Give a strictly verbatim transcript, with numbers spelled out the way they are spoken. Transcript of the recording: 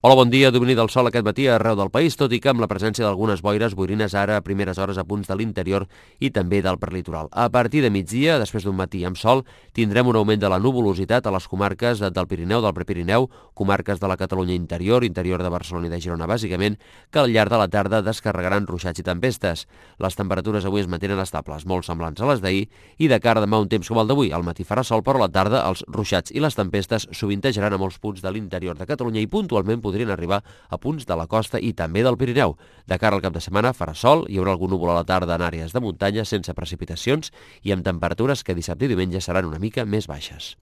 Hola, bon dia. Domini del sol aquest matí arreu del país, tot i que amb la presència d'algunes boires boirines ara a primeres hores a punts de l'interior i també del prelitoral. A partir de migdia, després d'un matí amb sol, tindrem un augment de la nuvolositat a les comarques del Pirineu, del Prepirineu, comarques de la Catalunya interior, interior de Barcelona i de Girona, bàsicament, que al llarg de la tarda descarregaran ruixats i tempestes. Les temperatures avui es mantenen estables, molt semblants a les d'ahir, i de cara a demà un temps com el d'avui. Al matí farà sol, però a la tarda els ruixats i les tempestes sovintejaran a molts punts de l'interior de Catalunya i puntualment podrien arribar a punts de la costa i també del Pirineu. De cara al cap de setmana farà sol, hi haurà algun núvol a la tarda en àrees de muntanya sense precipitacions i amb temperatures que dissabte i diumenge seran una mica més baixes.